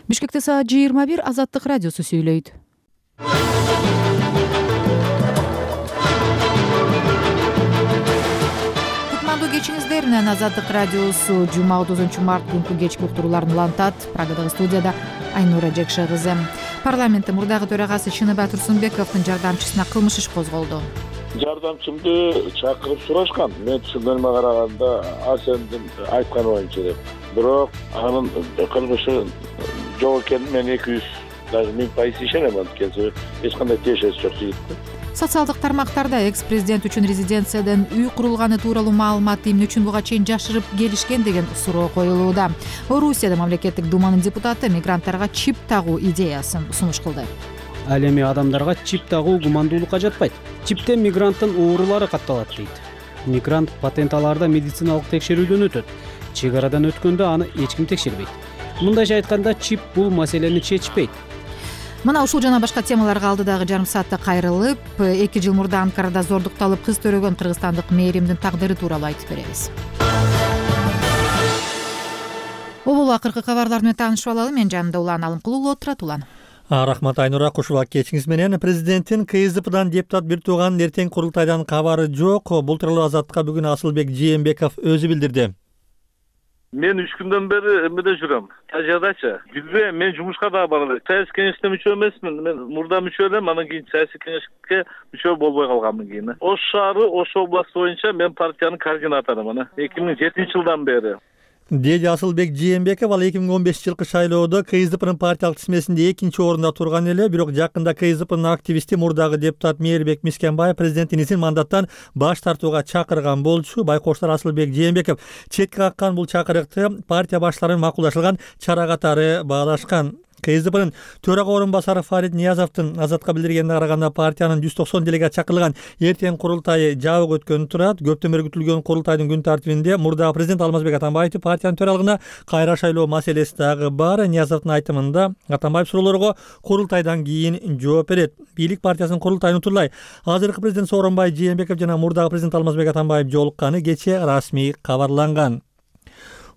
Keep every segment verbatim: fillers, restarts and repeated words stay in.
Бишкекте саат жыйырма бир. Азаттык радиосу сүйлөйт. Кутмандуу кечиңиздер менен Азаттык радиосу жума отузунчу март күнкү кечки уктурууларын улантат. Прагадагы студияда Айнура Жекше кызы. Парламенттин мурдагы төрагасы Чыныбай Турсунбековдун жардамчысына кылмыш иш козголду. Жардамчымды чакырып сурашкан. Мен түшүнгөнүмө караганда Асендин айтканы боюнча деп. Бирок анын кылмышы жок экенин мен эки жүз даже миң пайыз ишенем. Анткени эч кандай тиешеси жок жигит. Социалдык тармактарда экс-президент үчүн резиденциядан үй курулганы тууралуу маалыматты эмне үчүн буга чейин жашырып келишкен деген суроо коюлууда. Орусияда мамлекеттик думанын депутаты мигранттарга чип тагуу идеясын сунуш кылды. Ал эми адамдарга чип тагуу гумандуулукка жатпайт. Чиптен мигранттын оорулары катталат дейт. Мигрант патент алаарда медициналык текшерүүдөн өтөт. Чек арадан өткөндө аны эч ким текшербейт. Мындайча айтканда, чип бул маселени чечпейт. Мына ушул жана башка темаларга алдыдагы жарым саатта кайрылып, эки жыл мурда Анкарада зордукталып кыз төрөгөн кыргызстандык мээримдин тагдыры тууралуу айтып беребиз. Обол акыркы кабарлар менен таанышып алалы. Мен жанымда Улан Алымкулуу отурат. Улан. Рахмат Айнура, куш убак кечиңиз менен. Президенттин КСДПдан депутат бир тууганын эртең курултайдан кабары жок. Бул тууралуу Азаттыкка бүгүн Асылбек Жээнбеков өзү билдирди. Мен үч күндөн бери эмеде жүрөм. Тажадачы. Бизде мен жумушка да бара элем. Саясий кеңеште мүчө эмесмин. Мен мурда мүчө элем, анан кийин саясий кеңешке мүчө болбой калганмын кийин. Ош шаары, Ош областы боюнча мен партиянын координаторумун. эки миң жетинчи жылдан бери. Деди Асылбек Жээнбеков ал эки миң он бешинчи жылкы шайлоодо КСДПнын партиялык тизмесинде экинчи орунда турган эле, бирок жакында КСДПнын активисти мурдагы депутат Мээрбек Мискенбаев президенттин исин мандаттан баш тартууга чакырган болчу. Байкоштор Асылбек Жээнбеков четке каккан бул чакырыкты партия баштарынын макулдашылган чара катары баалашкан. КСДПнын төрага орун басары Фарид Ниязовдун Азатка билдиргенине караганда партиянын жүз токсон делегат чакырылган эртең курултайы жабык өткөнү турат. Көптөн бери күтүлгөн курултайдын күн тартибинде мурдагы президент Алмазбек Атамбаевди партиянын төралыгына кайра шайлоо маселеси дагы бар. Ниязовдун айтымында Атамбаев суроолорго курултайдан кийин жооп берет. Бийлик партиясынын курултайын утурлай азыркы президент Сооронбай Жээнбеков жана мурдагы президент Алмазбек Атамбаев жолукканы кечээ расмий кабарланган.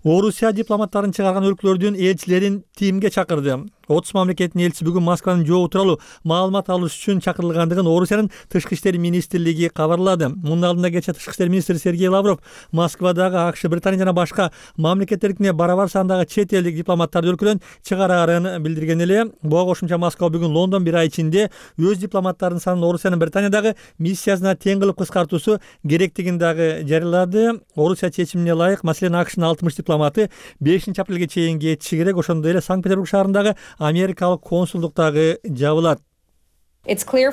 Орусия дипломаттарын чыгарган өлкөлөрдүн элчилерин Тимге чакырды. отуз мамлекеттин элчиси бүгүн Москванын жообу тууралуу маалымат алыш үчүн чакырылгандыгын Орусиянын тышкы иштер министрлиги кабарлады. Мунун алдында кечээ тышкы иштер министри Сергей Лавров Москвадагы АКШ, Британия жана башка мамлекеттердикине барабар сандагы чет элдик дипломаттарды өлкөдөн чыгарарын билдирген эле. Буга кошумча Москва бүгүн Лондон бир ай ичинде өз дипломаттарынын санын Орусиянын Британиядагы миссиясына тең кылып кыскартуусу керектигин дагы жарыялады. Орусия чечимине ылайык, маселен АКШнын алтымыш дипломаты бешинчи апрелге чейин кетиши керек. Ошондой эле Санкт-Петербург шаарындагы америкалык консулдуктагы жабылат. Бизге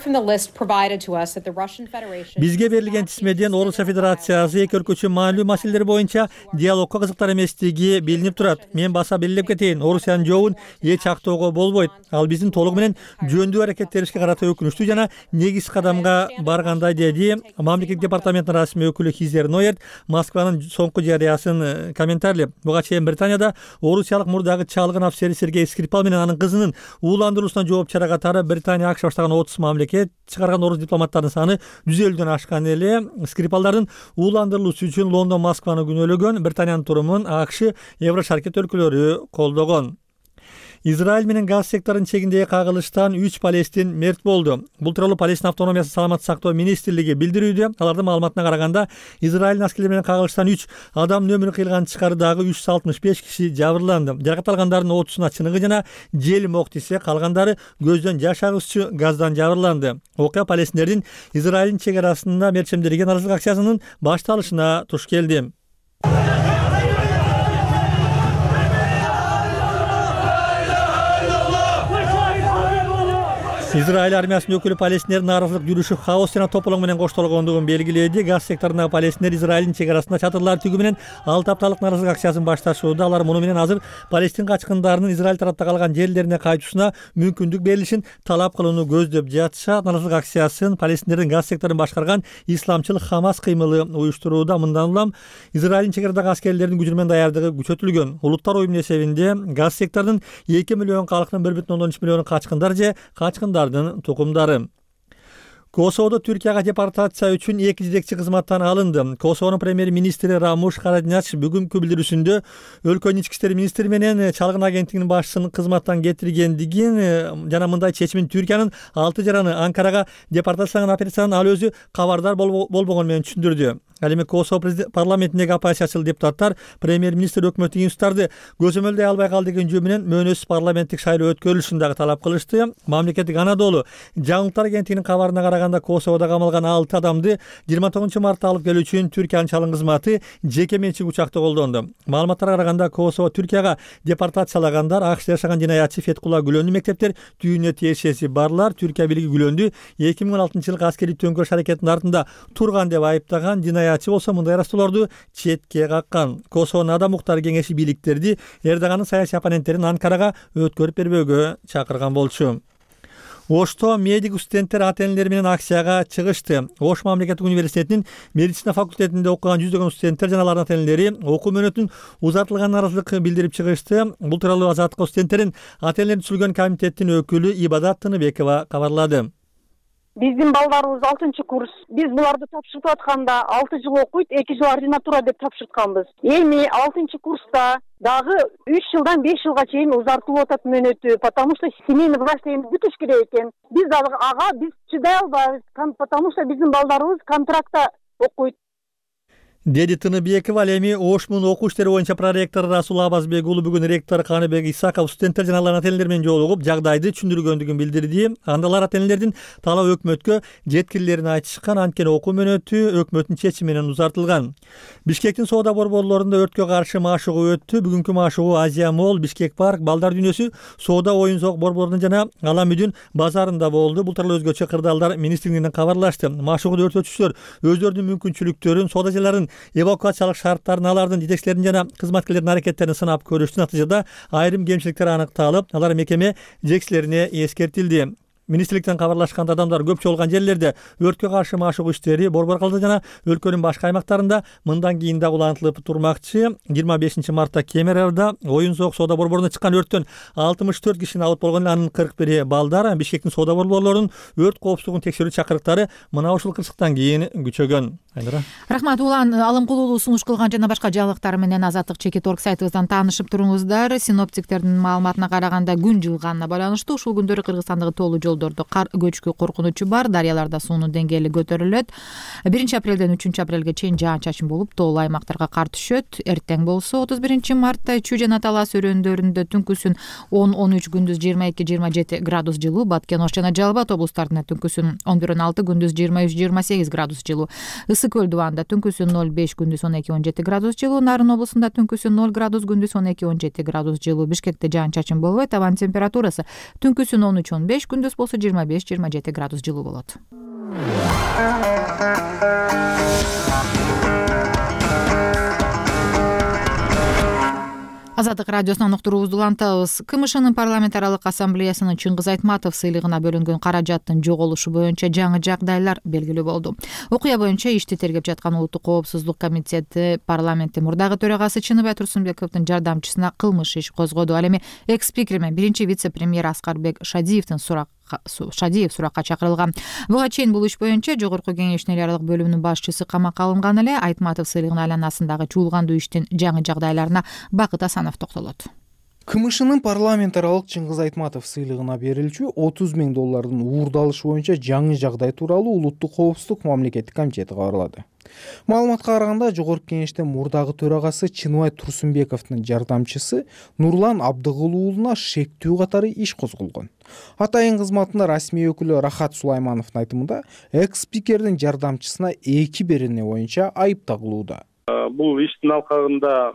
берилген тизмеден Орусия Федерациясы эки өлкө үчүн маанилүү маселелер боюнча диалогко кызыктар эместиги билинип турат. Мен баса белгилеп кетейин, Орусиянын жообун эч актоого болбойт. Ал биздин толугу менен жөндүү аракеттерибизге карата өкүнүчтүү жана негиз кадамга баргандай, деди мамлекеттик департаменттин расмий өкүлү Хизер Ноерт Москванын соңку жарыясын комментарийлеп. Буга чейин Британияда орусиялык мурдагы чалгын офицери Сергей Скрипал менен анын кызынын ууландыруусуна жооп чара катары Британия АКШ баштаган отуз мамлекет чыгарган орус дипломаттарынын саны жүз элүүдөн ашкан эле. Скрипалдардын ууландырылуусу үчүн Лондон Москваны күнөөлөгөн. Британиянын турумун АКШ, Еврошаркет өлкөлөрү колдогон. Израиль менен газ секторунун чегиндеги кагылыштан үч палестин мерт болду. Бул тууралуу Палестин автономиясын саламаттык сактоо министрлиги билдирүүдө. Алардын маалыматына караганда, Израилдин аскерлери менен кагылыштан үч адамдын өмүрүн кыйлган тышкарыдагы үч жүз алтымыш беш киши жабырланды. Жаракат алгандардын отузуна чыныгы жана желим ок тисе, калгандары көздөн жаш агызчу газдан жабырланды. Окуя палестиндердин Израилдин чек арасында мерчемдерген арыздык акциясынын башталышына туш келди. Израиль армиясынын өкүлү палестиндердин нааразылык жүрүшү хаос жана тополоң менен коштолгондугун белгиледи. Газ секторундагы палестиндер Израилдин чек арасында чатырлар тигүү менен алты апталык нааразылык акциясын башташууда. Алар муну менен азыр Палестин качкындарынын Израиль тарапта калган жерлерине кайтуусуна мүмкүндүк берилишин талап кылууну көздөп жатышат. Нааразылык акциясын палестиндердин газ секторун башкарган исламчыл Хамас кыймылы уюштурууда. Мындан улам Израилдин чек арадагы аскерлердин күчү менен даярдыгы күчөтүлгөн. Улуттар уюмунун эсебинде газ секторунун эки миллион калкынын бир бүтүн ондон үч миллиону качкындар же качкындар тукумдары. Косоводо Түркияга депортация үчүн эки жетекчи кызматтан алынды. Косовонун премьер-министри Рамуш Харадинач бүгүнкү билдирүүсүндө өлкөнүн ички иштер министри менен чалгын агенттигинин башчысын кызматтан кетиргендигин жана мындай чечимин Түркиянын алты жараны Анкарага депортацияланган операциядан ал өзү кабардар болбогону менен түшүндүрдү. Ал эми Косово парламентиндеги оппозициячыл депутаттар премьер-министр өкмөттүн институттарды көзөмөлдөй албай калды деген жөө менен мөөнөсүз парламенттик шайлоо өткөрүлүшүн дагы талап кылышты. Мамлекеттик Анадолу жаңылыктар агенттигинин кабарына караганда Косоводо камалган алты адамды жыйырма тогузунчу мартта алып келүү үчүн Түркиянын чалгын кызматы жеке менчик учакты колдонду. Маалыматтарга караганда Косово Түркияга депортациялагандар АКШда жашаган жинаятчы Феткула Гүлөндү мектептер түйүнүнө тиешеси барлар Түркия бийлиги Гүлөндү эки миң он алтынчы жылкы аскерий төңкөрүш аракетинин артында турган деп айыптаган. Жинаятчы болсо мындай арастоолорду четке каккан. Косовонун адам укуктары кеңеши бийликтерди Эрдоганын саясий оппоненттерин Анкарага өткөрүп бербөөгө чакырган болчу. Ошто медик студенттер ата-энелери менен акцияга чыгышты. Ош мамлекеттик университетинин медицина факультетинде окуган жүздөгөн студенттер жана алардын ата-энелери окуу мөөнөтүнүн узартылганына нааразылык билдирип чыгышты. Бул тууралуу Азаттыкка студенттердин ата-энелерин түзүлгөн комитеттин өкүлү Ибадат Тыныбекова кабарлады. Биздин балдарыбыз алтынчы курс. Биз буларды тапшырып атканда алты жыл окуйт, эки жыл ординатура деп тапшыртканбыз. Эми алтынчы курста дагы үч жылдан беш жылга чейин узартылып атат мөөнөтү, потому что семейный врачтыгыбыз бүтүш керек экен. Биз дагы ага биз чыдай албайбыз, потому что биздин балдарыбыз контрактта окуйт. Деди Тыныбекова. Ал эми Ошмун окуу иштери боюнча проректору Расул Абазбек уулу бүгүн ректор Каныбек Исаков студенттер жана алардын ата-энелери менен жолугуп жагдайды түшүндүргөндүгүн билдирди. Анда алар ата-энелердин талап өкмөткө жеткирилерин айтышкан, анткени окуу мөөнөтү өкмөттүн чечими менен узартылган. Бишкектин соода борборлорунда өрткө каршы машыгуу өттү. Бүгүнкү машыгуу Азия Молл, Бишкек парк, Балдар дүйнөсү соода ойун зоок борборунун жана Алам үйдүн базарында болду. Бул тууралуу өзгөчө кырдаалдар министрлигинен кабарлашты. Машыгууда өртөөчүлөр өздөрүнүн мүмкүнчүлүктөрүн, соода жайларын эвакуациялык шарттарын, алардын жетекчилерин жана кызматкерлердин аракеттерин сынап көрүштү. Натыйжада айрым кемчиликтер аныкталып, алар мекеме жетекчилерине эскертилди. Министрликтен кабарлашканда адамдар көп чогулган жерлерде өрткө каршы машыгуу иштери борбор калды жана өлкөнүн башка аймактарында мындан кийин да улантылып турмакчы. жыйырма бешинчи мартта Кемеровдо оюн зоок соода борборуна чыккан өрттөн алтымыш төрт киши абыт болгон, анын кырк бири балдар. Бишкектин соода борборлорунун өрт коопсуздугун текшерүү чакырыктары мына ушул кырсыктан кийин күчөгөн. Айнура. Рахмат. Улан Алымкулуулу сунуш кылган жана башка жаңылыктар менен Азаттык чекит орг сайтыбыздан таанышып туруңуздар. Синоптиктердин маалыматына караганда күн жылганына байланыштуу ушул күндөрү Кыргызстандагы тоолуу жолдордо кар көчкү коркунучу бар. Дарыяларда суунун деңгээли көтөрүлөт. биринчи апрелден үчүнчү апрелге чейин жаан-чачын болуп, тоолуу аймактарга кар түшөт. Эртең болсо отуз биринчи мартта Чүй жана Талас өрөөндөрүндө түнкүсүн он он үч, күндүз жыйырма эки жыйырма жети градус жылуу, Баткен, Ош жана Жалал Абад облустарында түнкүсүн он бир он алты, күндүз жыйырма үч жыйырма сегиз градус жылуу. Ысык көл дубанда түнкүсүн ноль беш, күндүз он эки он жети градус жылуу. Нарын облусунда түнкүсүн ноль градус, күндүз он эки он жети градус жылуу. Бишкекте жаан-чачын болбойт. Абанын температурасы түнкүсүн он үч он беш, күндүз болсо жыйырма беш жыйырма жети градус жылуу болот. Азаттык радиосунан уктуруубузду улантабыз. КМШнын парламент аралык ассамблеясынын Чыңгыз Айтматов сыйлыгына бөлүнгөн каражаттын жоголушу боюнча жаңы жагдайлар белгилүү болду. Окуя боюнча ишти тергеп жаткан Улуттук коопсуздук комитети парламенттин мурдагы төрагасы Чыныбай Турсунбековдун жардамчысына кылмыш иш козгоду. Ал эми экс-спикер менен биринчи вице-премьер Аскарбек Шадиевдин сурак Шадиев суракка чакырылган. Буга чейин бул иш боюнча Жогорку Кеңештин эл аралык бөлүмүнүн башчысы камакка алынган эле. Айтматов сыйлыгынын айланасындагы чуулгандуу иштин жаңы жагдайларына Бакыт Асанов токтолот. КМШнын парламент аралык Чыңгыз Айтматов сыйлыгына берилчү отуз миң доллардын уурдалышы боюнча жаңы жагдай тууралуу Улуттук коопсуздук мамлекеттик комитети кабарлады. Маалыматка караганда Жогорку Кеңештин мурдагы төрагасы Чыныбай Турсунбековдун жардамчысы Нурлан Абдыгул уулуна шектүү катары иш козголгон. Атайын кызматында расмий өкүлү Рахат Сулаймановдун айтымында экс-спикердин жардамчысына эки берене боюнча айып тагылууда. Бул иштин алкагында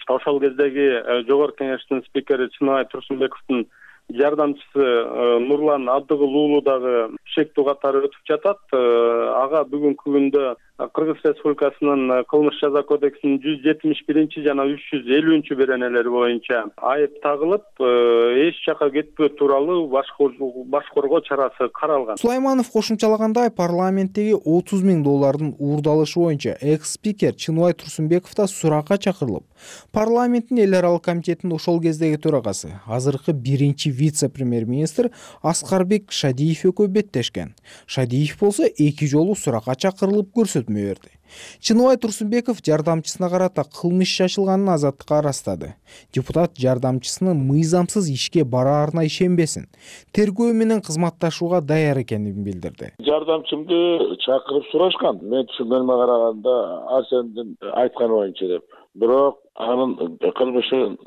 ошол кездеги Жогорку Кеңештин спикери Чыныбай Турсунбековдун жардамчысы Нурлан Абдыгул уулу дагы шектүү катары өтүп жатат. Ага бүгүнкү күндө Кыргыз Республикасынын кылмыш жаза кодексинин жүз жетимиш биринчи жана үч жүз элүүнчү беренелери боюнча айып тагылып, эч жака кетпөө тууралуу баш коргоо чарасы каралган. Сулайманов кошумчалагандай, парламенттеги отуз миң доллардын уурдалышы боюнча экс-спикер Чыныбай Турсунбеков да суракка чакырылып, парламенттин эл аралык комитетинин ошол кездеги төрагасы, азыркы биринчи вице-премьер-министр Аскарбек Шадиев экөө беттешкен. Шадиев болсо эки жолу суракка чакырылып көрсөтмө берди. Чыныбай Турсунбеков жардамчысына карата кылмыш иши ачылганын азаттыкка ырастады. Депутат жардамчысынын мыйзамсыз ишке бараарына ишенбесин, тергөө менен кызматташууга даяр экенин билдирди. Жардамчымды чакырып сурашкан. Мен түшүнгөнүмө караганда Арсендин айтканы боюнча деп. Бирок анын кылмышы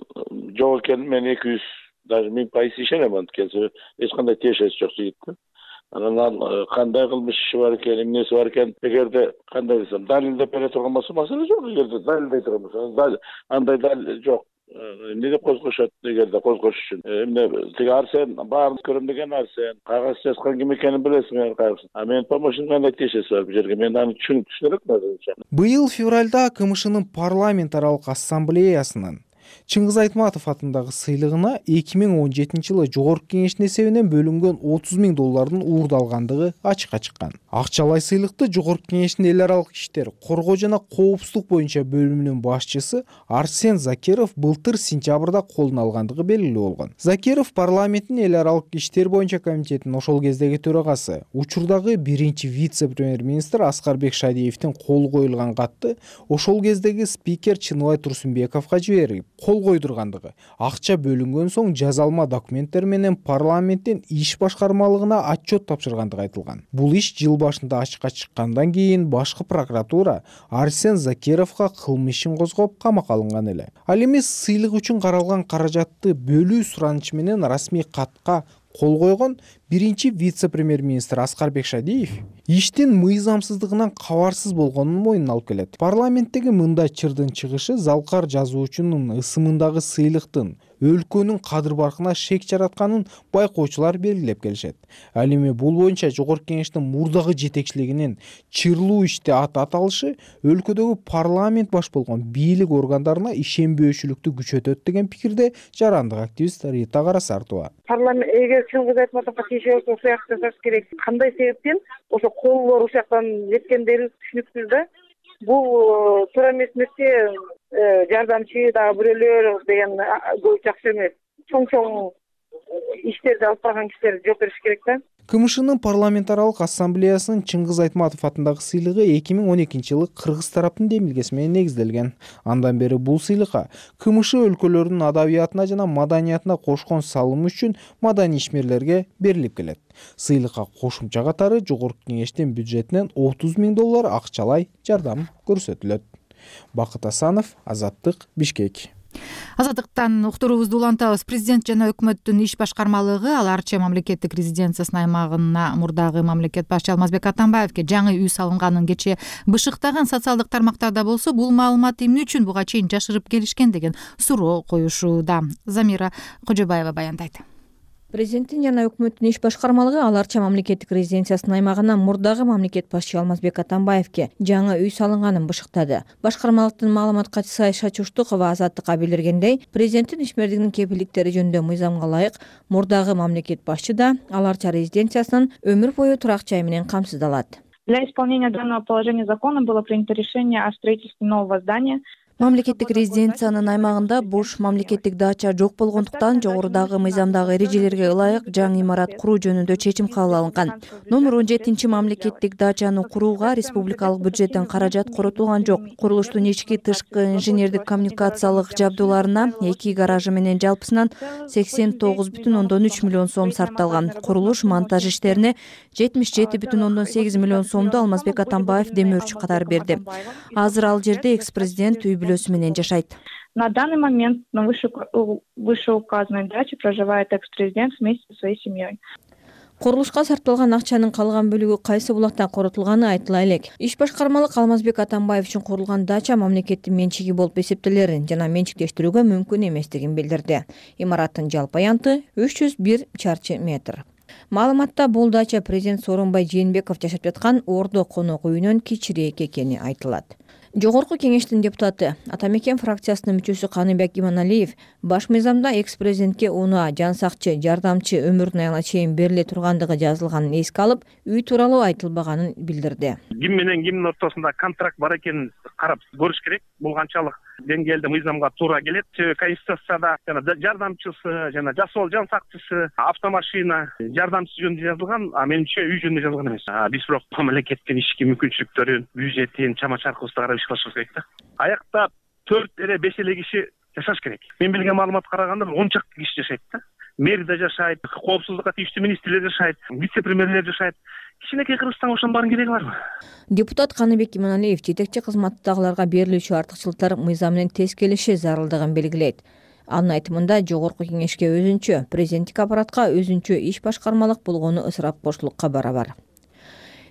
жок экенин мен эки жүз даже миң пайыз ишенем. Анткени эч кандай тиешеси жок жигит. Анан кандай кылмыш иши бар экен, эмнеси бар экен, эгерде кандай десем, далилдеп бере турган болсо маселе жок. Эгерде далилдей турган болсо, андай далил жок. Эмне деп козгошот, эгерде козгош үчүн. Эмне тиги Арсен баарын көрөм деген Арсен, кагаз жазган ким экенин билесиң, кайсы. А мен помощник кандай тиешеси бар бу жерге, мен аны түшүнүп турмун. Быйыл февралда КМШнын парламент аралык ассамблеясынын Чыңгыз Айтматов атындагы сыйлыгына эки миң он жетинчи жылы Жогорку Кеңештин эсебинен бөлүнгөн отуз миң доллардын уурдалгандыгы ачыкка чыккан. Акчалай сыйлыкты Жогорку Кеңештин эл аралык иштер, коргоо жана коопсуздук боюнча бөлүмүнүн башчысы Арсен Закиров былтыр сентябрда колуна алгандыгы белгилүү болгон. Закиров парламенттин эл аралык иштер боюнча комитетинин ошол кездеги төрагасы, учурдагы биринчи вице-премьер-министр Аскарбек Шадиевдин кол коюлган катты ошол кездеги спикер Чыныбай Турсунбековго жиберип, кол койдургандыгы, акча бөлүнгөн соң жазалма документтер менен парламенттин иш башкармалыгына отчет тапшыргандыгы айтылган. Бул иш жыл башында ачыкка чыккандан кийин башкы прокуратура Арсен Закировго кылмыш ишин козгоп камакка алынган эле. Ал эми сыйлык үчүн каралган каражатты бөлүү суранычы менен расмий катка кол койгон биринчи вице-премьер-министр Аскарбек Шадиев иштин мыйзамсыздыгынан кабарсыз болгонун мойнуна алып келет. Парламенттеги мындай чырдын чыгышы залкар жазуучунун ысымындагы сыйлыктын өлкөнүн кадыр баркына шек жаратканын байкоочулар белгилеп келишет. Ал эми бул боюнча Жогорку Кеңештин мурдагы жетекчилигинин чырлуу иште ат аталышы өлкөдөгү парламент баш болгон бийлик органдарына ишенбөөчүлүктү күчөтөт деген пикирде жарандык активист Рита Карасартова. Парламент эгер Чыңгыз Айтматовго тиешеси ошол жакта жасаш керек. Кандай себептен ошо колдор ушул жактан жеткендери түшүнүксүз да. Бул туура эмес нерсе. Жардамчы дагы бирөөлөр деген жакшы эмес. Чоң-чоң иштерди алып барган кишилер жооп бериш керек да. КМШнын парламент аралык ассамблеясынын Чыңгыз Айтматов атындагы сыйлыгы эки миң он экинчи жылы кыргыз тараптын демилгеси менен негизделген. Андан бери бул сыйлыкка КМШ өлкөлөрүнүн адабиятына жана маданиятына кошкон салымы үчүн маданий ишмерлерге берилип келет. Сыйлыкка кошумча катары Жогорку Кеңештин бюджетинен отуз миң доллар акчалай жардам көрсөтүлөт. Бакыт Асанов, Азаттык, Бишкек. Азаттыктан уктуруубузду улантабыз. Президент жана өкмөттүн иш башкармалыгы Ал Арча мамлекеттик резиденциясынын аймагына мурдагы мамлекет башчы Алмазбек Атамбаевге жаңы үй салынганын кечээ бышыктаган социалдык тармактарда болсо, бул маалымат эмне үчүн буга чейин жашырып келишкен деген суроо коюшууда. Замира Кожобаева баяндайт. Президенттин жана өкмөттүн иш башкармалыгы Ал Арча мамлекеттик резиденциясынын аймагына мурдагы мамлекет башчы Алмазбек Атамбаевге жаңы үй салынганын бышыктады. Башкармалыктын маалымат катчысы Айша Чуштукова Азаттыкка билдиргендей, президенттин ишмердигинин кепилдиктери жөнүндө мыйзамга ылайык мурдагы мамлекет башчы да Ал Арча резиденциясынын өмүр бою турак жай менен камсыздалат. Для исполнения данного положения закона было принято решение о строительстве нового здания. Мамлекеттик резиденциянын аймагында буш мамлекеттик дача жок болгондуктан жогорудагы мыйзамдагы эрежелерге ылайык жаңы имарат куруу жөнүндө чечим кабыл алынган. Номер он жетинчи мамлекеттик дачаны курууга республикалык бюджеттен каражат коротулган жок. Курулуштун ички тышкы инженердик коммуникациялык жабдууларына эки гаражы менен жалпысынан сексен тогуз бүтүн ондон үч миллион сом сарпталган. Курулуш монтаж иштерине жетимиш жети бүтүн ондон сегиз миллион сомду Алмазбек Атамбаев демөөрчү катары берди. Азыр ал жерде экс-президент үй бүлөсү менен жашайт. На данный момент на вышеуказанной даче проживает экс-президент вместе со своей семьей. Курулушка сарпталган акчанын калган бөлүгү кайсы булактан коротулганы айтыла элек. Иш башкармалык Алмазбек Атамбаев үчүн курулган дача мамлекеттин менчиги болуп эсептелерин жана менчиктештирүүгө мүмкүн эместигин билдирди. Имараттын жалпы аянты үч жүз бир чарчы метр. Маалыматта бул дача президент Сооронбай Жээнбеков жашап жаткан Ордо конок үйүнөн кичирээк экени айтылат. Жогорку кеңештин депутаты, Ата Мекен фракциясынын мүчөсү Каныбек Иманалиев баш мыйзамда экс-президентке унаа, жан сакчы, жардамчы өмүрүнүн аягына чейин бериле тургандыгы жазылганын эске алып, үй тууралуу айтылбаганын билдирди. Ким менен кимдин ортосунда контракт бар экенин карап көрүш керек. Бул канчалык деңгээлде мыйзамга туура келет. Конституцияда жана жардамчысы, жана жасоо жан сакчысы, автомашина жардамчысы жөнүндө жазылган, а менимче үй жөнүндө жазылган эмес. Биз бирок мамлекеттин ишки мүмкүнчүлүктөрүн, бюджетин, чама-чаркыбызды карап иш кылышыбыз керек да. Аякта төрт эле беш эле киши жашаш керек. Мен билген маалыматка караганда он чакты киши жашайт да. Мэр да жашайт, коопсуздукка тийиштүү министрлер жашайт, вице-премьерлер жашайт. Кичинекей кыргызстан ошонун баарын кереги барбы? Депутат Каныбек Иманалиев жетекчи кызматтагыларга берилүүчү артыкчылыктар мыйзам менен тез келиши зарылдыгын белгилейт. Анын айтымында жогорку кеңешке өзүнчө, президенттик аппаратка өзүнчө иш башкармалык болгону ысырапкорчулукка барабар.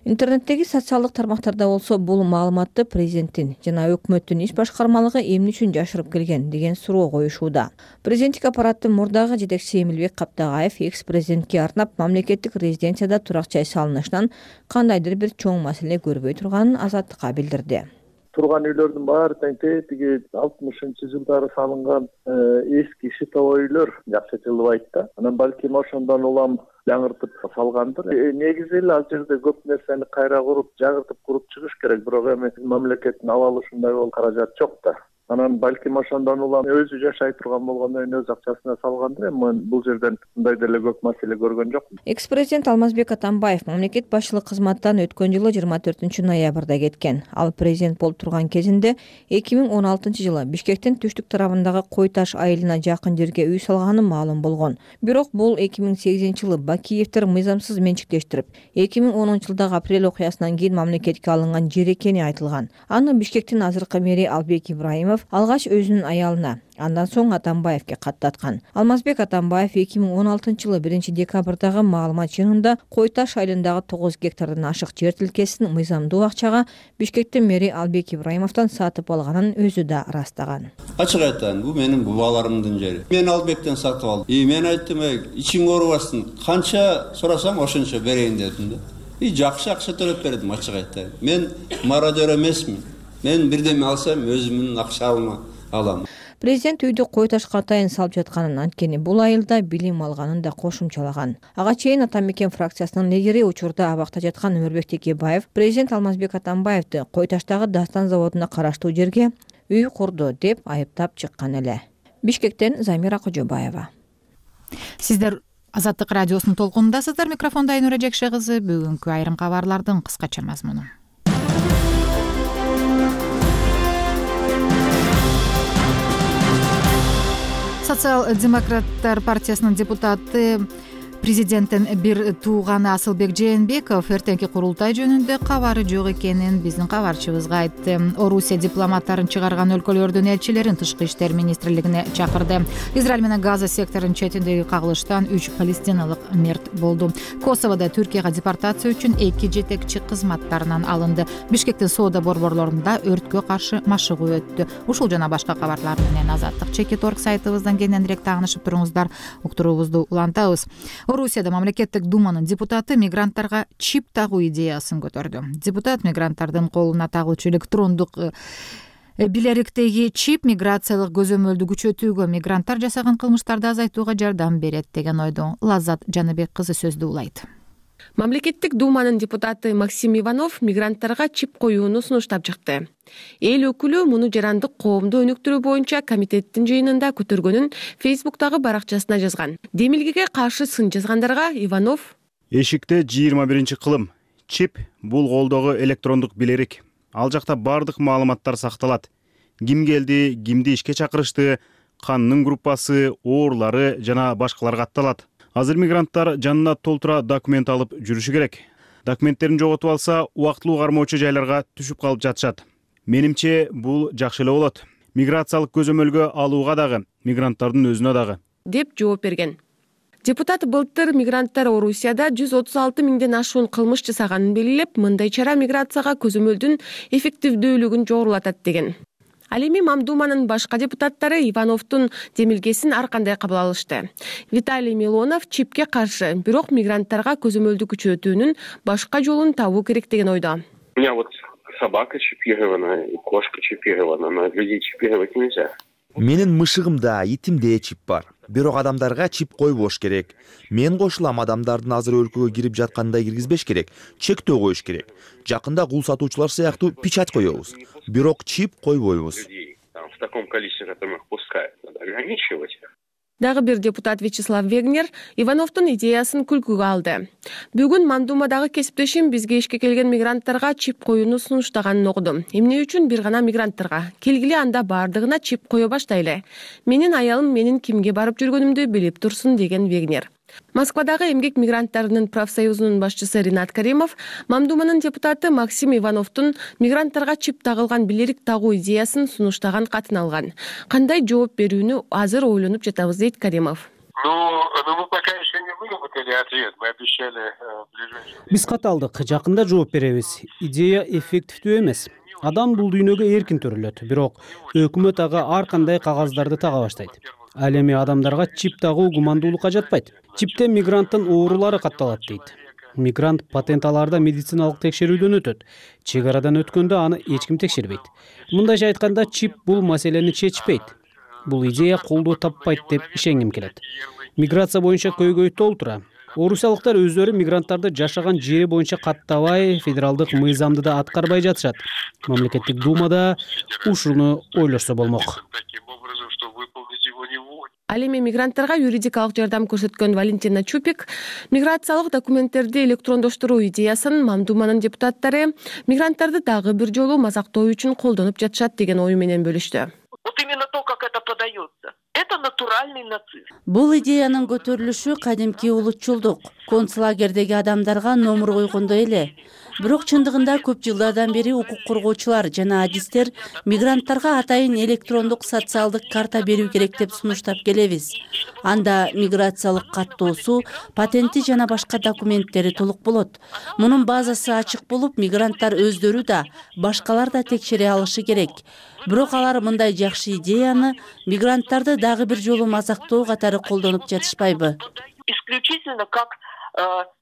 Интернеттеги социалдык тармактарда болсо бул маалыматты президенттин жана өкмөттүн иш башкармалыгы эмне үчүн жашырып келген деген суроо коюшууда. Президенттик аппараттын мурдагы жетекчиси Эмилбек Каптагаев экс-президентке арнап мамлекеттик резиденцияда турак жай салынышынан кандайдыр бир чоң маселе көрбөй турганын Азаттыкка билдирди. Турган үйлөрдүн баары тең тиги алтымышынчы жылдары салынган эски шитовой үйлөр жакшы жылыбайт да. Анан балким ошондон улам жаңыртып салгандыр. Негизи эле ал жерде көп нерсени кайра куруп, жагыртып куруп чыгыш керек, бирок эми мамлекеттин ала алышындай бол каражат жок да. Анан балким ошондон улам өзү жашай турган болгондон кийин өз акчасына салгандыр. Эми бул жерден мындай деле көп маселе көргөн жокмун. Экс-президент Алмазбек Атамбаев мамлекет башчылык кызматтан өткөн жылы жыйырма төртүнчү ноябрда кеткен. Ал президент болуп турган кезинде эки миң он алтынчы жылы Бишкектин түштүк тарабындагы Кой Таш айылына жакын жерге үй салганы маалым болгон. Бирок бул эки миң сегизинчи жылы Бакиевдер мыйзамсыз менчиктештирип, эки миң онунчу жылдагы апрель окуясынан кийин мамлекетке алынган жер экени айтылган. Аны Бишкектин азыркы мэри Албек Ибраимов алгач өзүнүн аялына, андан соң Атамбаевке каттаткан. Алмазбек Атамбаев эки миң он алтынчы жылы биринчи декабрдагы маалымат жыйынында Кой Таш айылындагы тогуз гектардан ашык жер тилкесин мыйзамдуу акчага Бишкектин мэри Албек Ибраимовдон сатып алганын өзү да ырастаган. Ачык айтам, бул менин бабаларымдын жери. Мен Албектен сатып алдым. И мен айттым, ичиң оорубасын, канча сурасаң ошончо берейин дедим да. И жакшы акча төлөп бердим, ачык айтайын. Мен мародер эмесмин. Мен бирдеме алсам өзүмдүн акчамды алам. Президент үйдү Кой Ташка атайын салып жатканын, анткени бул айылда билим алганын да кошумчалаган. Ага чейин Ата Мекен фракциясынын лидери учурда абакта жаткан Өмүрбек Текебаев президент Алмазбек Атамбаевди Кой Таштагы Дастан заводуна караштуу жерге үй курду деп айыптап чыккан эле. Бишкектен Замира Кожобаева. Сиздер Азаттык радиосунун толкунундасыздар. Микрофондо Айнура Жекше кызы. Бүгүнкү айрым кабарлардын кыскача мазмуну. Социал-демократтар партиясынын депутаты президенттин бир тууганы Асылбек Жээнбеков эртеңки курултай жөнүндө кабары жок экенин биздин кабарчыбызга айтты. Орусия дипломаттарын чыгарган өлкөлөрдүн элчилерин тышкы иштер министрлигине чакырды. Израиль менен Газа секторунун четиндеги кагылыштан үч палестиналык мерт болду. Косоводо Түркияга депортация үчүн эки жетекчи кызматтарынан алынды. Бишкектин соода борборлорунда өрткө каршы машыгуу өттү. Ушул жана башка кабарлар менен Азаттык чекит точка орг сайтыбыздан кененирээк таанышып туруңуздар. Уктуруубузду улантабыз. Орусияда мамлекеттик думанын депутаты мигранттарга чип тагуу идеясын көтөрдү. Депутат мигранттардын колуна тагылчу электрондук билериктеги чип миграциялык көзөмөлдү күчөтүүгө, мигранттар жасаган кылмыштарды азайтууга жардам берет деген ойдо. Лаззат Жаныбек кызы сөздү улайт. Мамлекеттик думанын депутаты Максим Иванов мигранттарга чип коюуну сунуштап чыкты. Эл өкүлү муну жарандык коомду өнүктүрүү боюнча комитеттин жыйынында көтөргөнүн Фейсбуктагы баракчасына жазган. Демилгеге каршы сын жазгандарга Иванов: Эшикте жыйырма биринчи кылым. Чип бул колдогу электрондук билерик. Ал жакта бардык маалыматтар сакталат. Ким келди, кимди ишке чакырышты, кандын группасы, оорулары жана башкалар катталат. Азыр мигранттар жанына толтура документ алып жүрүшү керек. Документтерин жоготуп алса, убактылуу кармоочу жайларга түшүп калып жатышат. Менимче бул жакшы эле болот. Миграциялык көзөмөлгө алууга дагы, мигранттардын өзүнө дагы, деп жооп берген. Депутат былтыр мигранттар Орусияда жүз отуз алты миңден ашуун кылмыш жасаганын белгилеп, мындай чара миграцияга көзөмөлдүн эффективдүүлүгүн жогорулатат деген. Ал эми Мамдуманын башка депутаттары Ивановдун демилгесин ар кандай кабыл алышты. Виталий Милонов чипке каршы, бирок мигранттарга көзөмөлдү күчөтүүнүн башка жолун табуу керек деген ойдо. У меня вот собака чипирована, и кошка чипирована, но людей чипировать нельзя. Менин мышыгымда, итимде чип бар. Бирок адамдарга чип койбош керек. Мен кошулам, адамдардын азыр өлкөгө кирип жаткандай киргизбеш керек. Чектөө коюш керек. Жакында кул сатуучулар сыяктуу печать коебуз. Бирок чип койбойбуз. В таком количестве, которым их пускают, надо ограничивать. Дагы бир депутат Вячеслав Вегнер Ивановдун идеясын күлкүгө алды. Бүгүн Мандумадагы кесиптешим бизге ишке келген мигранттарга чип коюуну сунуштаганын окудум. Эмне үчүн бир гана мигранттарга? Келгиле анда бардыгына чип кое баштайлы. Менин аялым менин кимге барып жүргөнүмдү билип турсун, деген Вегнер. Москвадагы эмгек мигранттарынын профсоюзунун башчысы Ринат Каримов Мамдуманын депутаты Максим Ивановдун мигранттарга чип тагылган билерик тагуу идеясын сунуштаган катын алган. Кандай жооп берүүнү азыр ойлонуп жатабыз, дейт Каримов. Ну, мы пока еще не выработали ответ. Мы обещали в ближайшее время. Биз кат алдык, жакында жооп беребиз. Идея эффективдүү эмес. Адам бул дүйнөгө эркин төрөлөт, бирок өкмөт ага ар кандай кагаздарды тага баштайт. Ал эми адамдарга чип тагуу гумандуулукка жатпайт. Чиптен мигранттын оорулары катталат, дейт. Мигрант патент алаарда медициналык текшерүүдөн өтөт. Чек арадан өткөндө аны эч ким текшербейт. Мындайча айтканда, чип бул маселени чечпейт. Бул идея колдоо таппайт деп ишенгим келет. Миграция боюнча көйгөй толтура. Орусиялыктар өздөрү мигранттарды жашаган жери боюнча каттабай, федералдык мыйзамды да аткарбай жатышат. Мамлекеттик думада ушуну ойлошсо болмок. Ал эми мигранттарга юридикалык жардам көрсөткөн Валентина Чупик миграциялык документтерди электрондоштуруу идеясын Мамдуманын депутаттары мигранттарды дагы бир жолу мазактоо үчүн колдонуп жатышат деген ою менен бөлүштү. Вот именно то, как это подается. Это натуральный нацизм. Бул идеянын көтөрүлүшү кадимки улутчулдук. Концлагердеги адамдарга номур койгондой эле. Бирок чындыгында көп жылдардан бери укук коргоочулар жана адистер мигранттарга атайын электрондук социалдык карта берүү керек деп сунуштап келебиз. Анда миграциялык каттоосу, патенти жана башка документтери толук болот. Мунун базасы ачык болуп, мигранттар өздөрү да, башкалар да текшере алышы керек. Бирок алар мындай жакшы идеяны мигранттарды дагы бир жолу мазактоо катары колдонуп жатышпайбы? Исключительно как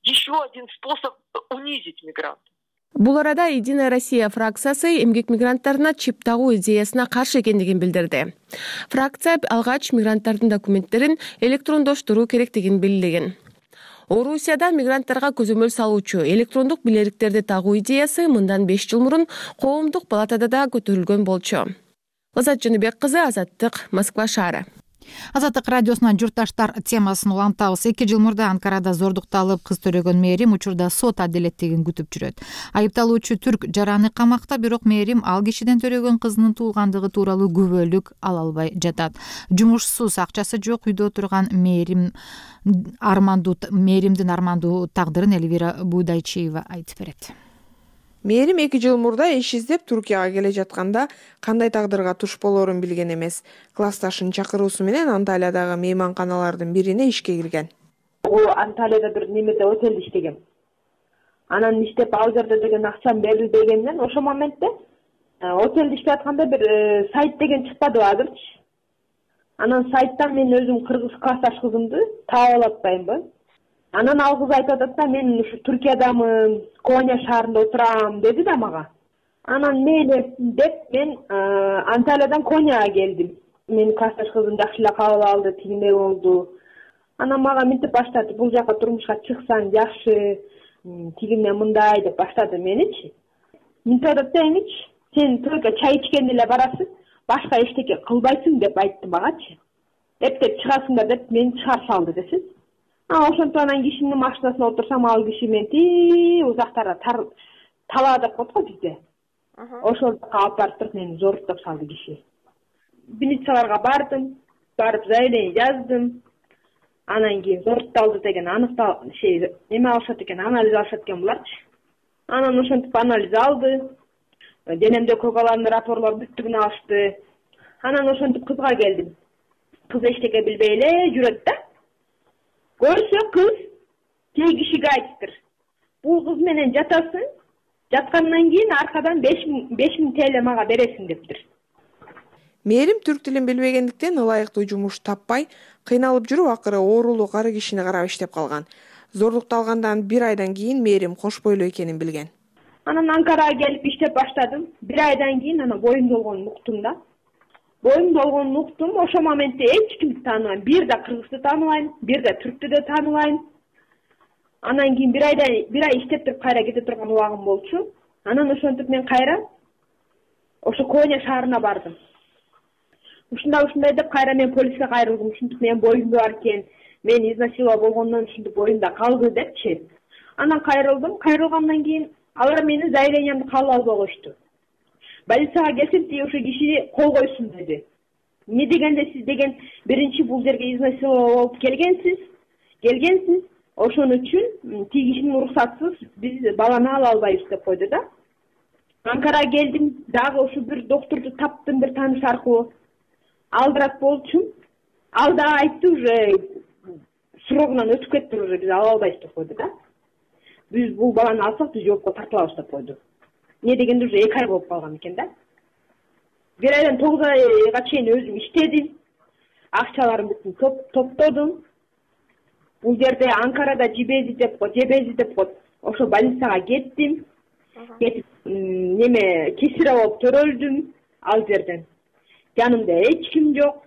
еще один способ унизить мигрантов. Бул арада Единая Россия фракциясы эмгек мигранттарына чип тагуу идеясына каршы экендигин билдирди. Фракция алгач мигранттардын документтерин электрондоштуруу керектигин белгилеген. Орусияда мигранттарга көзөмөл салуучу электрондук билериктерди тагуу идеясы мындан беш жыл мурун коомдук палатада да көтөрүлгөн болчу. Лазат Жаныбек кызы, Азаттык, Москва шаары. Азаттык радиосунан журтташтар темасын улантабыз. эки жыл мурда Анкарада зордукталып кыз төрөгөн мээрим учурда сот адилеттигин күтүп жүрөт. Айыпталуучу түрк жараны камакта, бирок мээрим ал кишиден төрөгөн кызынын туулгандыгы тууралуу күбөлүк ала албай жатат. Жумушсуз, акчасы жок үйдө отурган мээрим армандуу мээримдин армандуу тагдырын Элвира Будайчиева айтып берет. Мээрим эки жыл мурда иш издеп Туркияга келе жатканда кандай тагдырга туш болорун билген эмес. Классташынын чакыруусу менен Анталиядагы мейманканалардын бирине ишке кирген. Бул Анталияда бир немеде отелде иштегем. Анан иштеп ал жерде деген акчам берил дегенден ошол моментте отелде иштеп атканда бир сайт деген чыкпадыбы азырчы. Анан сайттан мен өзүм кыргыз классташ кызымды таап алып атпаймынбы. Анан ал кыз айтып атат да, мен ушу Түркиядамын, Коня шаарында отурам деди да мага. Анан мейли деп мен Анталиядан Коняга келдим. Мен классташ кызым жакшы эле кабыл алды, тигиндей болду. Анан мага мынтип баштады, бул жака турмушка чыксаң жакшы, тигине мындай деп баштады меничи. Мынтип атат да, эмичи, сен только чай ичкенде эле барасың, башка эчтеке кылбайсың деп айтты магачы. Эптеп чыгасыңдар деп мени чыгарып салды десиз. Ошентип анан кишинин машинасына отурсам, ал киши мени тии узактара талаа деп коет го бизде. Ошол жака алып барып туруп мени зордуктап салды киши. Милицияларга бардым, барып заявление жаздым. Анан кийин зордукталды деген аныктал şey эме алышат экен, анализ алышат экен буларчы. Анан ошентип анализ алды. Денемде көгаларын рапорлор бүттүгүн алышты. Анан ошентип кызга келдим. Кыз эчтеке билбей эле жүрөт да. Көрсө кыз кей кишиге айтыптыр. Бул кыз менен жатасың, жаткандан кийин аркадан беш миң T L мага бересиң дептир. Мээрим түрк тилин билбегендиктен ылайыктуу жумуш таппай, кыйналып жүрүп акыры оорулуу кары кишини карап иштеп калган. Зордукталгандан бир айдан кийин мээрим кош бойлуу экенин билген. Анан Анкарага келип иштеп баштадым. Бир айдан кийин анан боюм болгонун уктум да. Боюм болгонун уктум. Ошол моментте эч кимди тааныбайм. Бир да кыргызды тааныбайм, бир да түрктү да тааныбайм. Анан кийин бир айда бир ай иштеп туруп кайра кете турган убагым болчу. Анан ошентип мен кайра ошо Коня шаарына бардым. Ушундай ушундай деп кайра мен полиске кайрылдым. Ушинтип менин боюмда бар экен, мени изнасиловать болгондон ушинтип боюмда калды депчи. Анан кайрылдым. Кайрылгандан кийин алар менин заявлениямды кабыл албай коюшту. Больницага келсем тиги ошо киши кол койсун деди. Эмне дегенде сиз деген биринчи бул жерге изнасиловать болуп келгенсиз, келгенсиз. Ошон үчүн тиги кишинин уруксатсыз биз баланы ала албайбыз деп койду да. Анкарага келдим, дагы ошо бир доктурду таптым бир тааныш аркылуу. Алдырат болчумун. Ал да айтты уже срогунан өтүп кетти, уже биз ала албайбыз деп койду да. Биз бул баланы алсак биз жоопко тартылабыз деп койду. Эмне дегенде уже эки ай болуп калган экен да. Бир айдан тогуз айга чейин өзүм иштедим. Акчаларым бүтүн топтодум. Бул жерде Анкарада жебези деп коет, жебези деп коет. Ошо больницага кеттим. Кетип неме кесире болуп төрөлдүм ал жерден. Жанымда эч ким жок.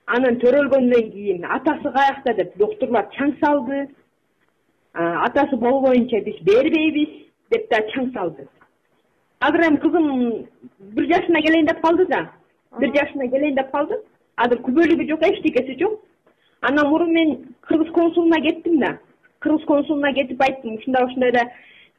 Анан төрөлгөндөн кийин атасы каякта деп доктурлар чаң салды. Атасы болбоюнча биз бербейбиз деп да чаң салды. Азыр эми кызым бир жашына келейин деп калды да. Бир жашына келейин деп калды. Азыр күбөлүгү жок, эчтекеси жок. Анан мурун мен кыргыз консулуна кеттим да. Кыргыз консулуна кетип айттым, ушундай ушундай да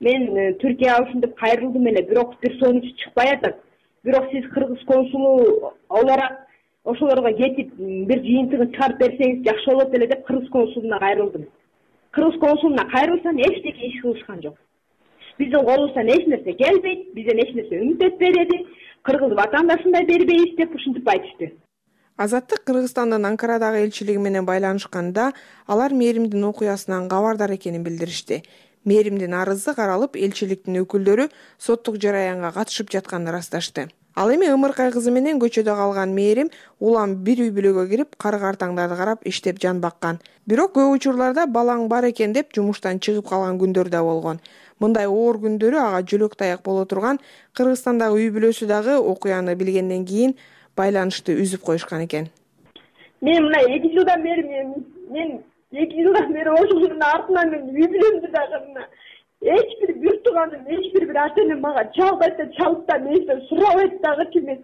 мен Түркияга ушинтип кайрылдым эле, бирок бир сонуч чыкпай атат. Бирок сиз кыргыз консулу оларак ошолорго кетип бир жыйынтыгын чыгарып берсеңиз жакшы болот эле деп кыргыз консулуна кайрылдым. Кыргыз консулуна кайрылсам эчтеке иш кылышкан жок. Биздин колубуздан эч нерсе келбейт, бизден эч нерсе үмүт этпейт, кыргыз ватандашын да бербейбиз деп ушинтип айтышты. Азаттык Кыргызстандын Анкарадагы элчилиги менен байланышканда алар Мээримдин окуясынан кабардар экенин билдиришти. Мээримдин арызы каралып, элчиликтин өкүлдөрү соттук жараянга катышып жатканын ырасташты. Ал эми ымыркай кызы менен көчөдө калган Мээрим улам бир үй бүлөгө кирип, кары-картаңдарды карап иштеп жан баккан. Бирок көп учурларда балаң бар экен деп жумуштан чыгып калган күндөр да болгон. Мындай оор күндөрү ага жөлөк таяк боло турган Кыргызстандагы үй бүлөсү дагы окуяны билгенден кийин байланышты үзүп коюшкан экен. Мен мына эки жылдан бери мен мен эки жылдан бери ошонун артынан мен үй бүлөмдү дагы мына эч бир бир тууганым, эч бир бир ата энем мага чалбайт да чалып да менден сурабайт дагычы эмес.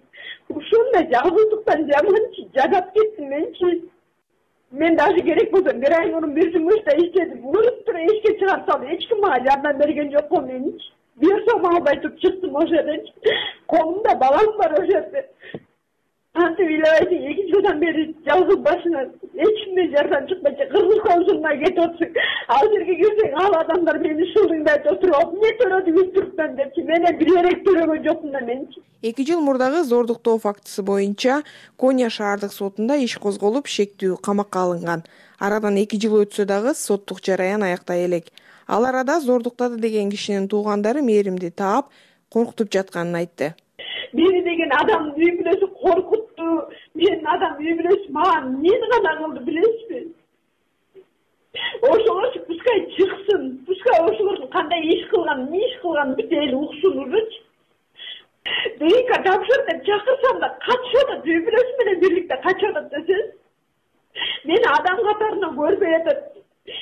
Ушундай жалгыздыктан жаманчы жадап кеттим менчи. Мен даже керек болсо бир ай мурун бир жумушта иштедим. Уруп туруп эшикке чыгарып салды. Эч ким мага жардам берген жок го менчи. Бир сом албай туруп чыктым ошол жерден. Колумда балам бар ошол жерде. Антип ыйлабайсың, эки жылдан бери жалгыз башына эч кимден жардам чыкпайчы, кыргыз консулуна кетип отурсуң. Ал жерге кирсең, ал адамдар мени шылдыңдай отуруп, эмне төрөдүңүз Түрктөн депчи, менен бир элек төрөгөн жокмун да менчи. эки жыл мурдагы зордуктоо фактысы боюнча Коня шаардык сотунда иш козголуп, шектүү камакка алынган. Арадан эки жыл өтсө дагы соттук жараян аяктай элек. Ал арада зордуктады деген кишинин туугандары Мээримди таап, коркутуп жатканын айтты. Мени деген адам үй бүлөсү коркутту. Менин адам үй бүлөсү мага эмнени гана кылды билесизби? Ошолорчу пускай чыксын, пускай ошолордун кандай иш кылган, эмне иш кылганын бүт эл уксун ужучу. ДНК тапшыр деп чакырсам да качып атат, үй бүлөсү менен бирликте качып атат десеңиз. Мени адам катарынан көрбөй атат.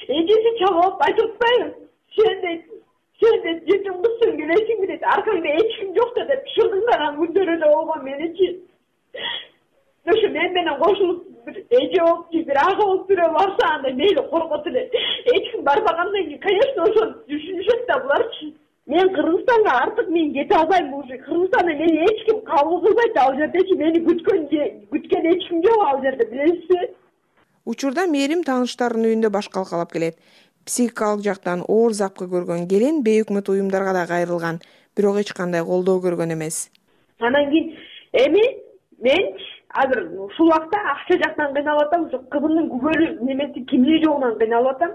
Эжеси чалып айтып атпайбы? Сен дейт, сен дейт жетим кызсың билесиңби дейт, аркаңда эч ким жок да деп шылдыңдаган күндөрү да болгон меничи. Ошо мен менен кошулуп бир эже болуп, бир ага болуп бирөө барса анда мейли коркот эле. Эч ким барбагандан кийин, конечно, ошо түшүнүшөт да буларчы. Мен Кыргызстанга артык мен кете албайм уже. Кыргызстанда мени эч ким кабыл кылбайт, ал жердечи мени күткөн күткөн эч ким жок ал жерде, билесизби? Учурда Мээрим тааныштарынын үйүндө баш калкалап келет. Психикалык жактан оор запкы көргөн келин бейөкмөт уюмдарга да кайрылган, бирок эч кандай колдоо көргөн эмес. Анан кийин эми мен азыр ушул убакта акча жактан кыйналып атам, ушу кызымдын күбөлү немеси кимиги жогунан кыйналып атам.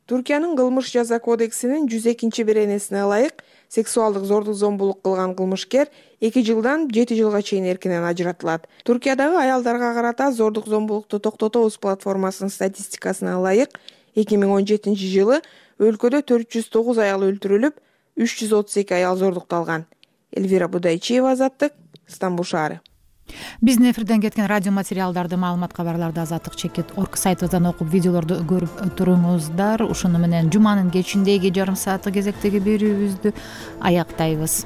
Туркиянын кылмыш жаза кодексинин жүз экинчи беренесине ылайык сексуалдык зордук зомбулук кылган кылмышкер эки жылдан жети жылга чейин эркинен ажыратылат. Туркиядагы аялдарга карата зордук зомбулукту токтотобуз платформасынын статистикасына ылайык эки миң он жетинчи жылы өлкөдө төрт жүз тогуз аял өлтүрүлүп, үч жүз отуз эки аял зордукталган. Элвира Будайчиева, Азаттык, Стамбул шаары. Биздин эфирден кеткен радио материалдарды, маалымат, кабарларды азаттык чекит орг сайтыбыздан окуп, видеолорду көрүп туруңуздар. Ушуну менен жуманын кечиндеги жарым сааттык кезектеги берүүбүздү аяктайбыз.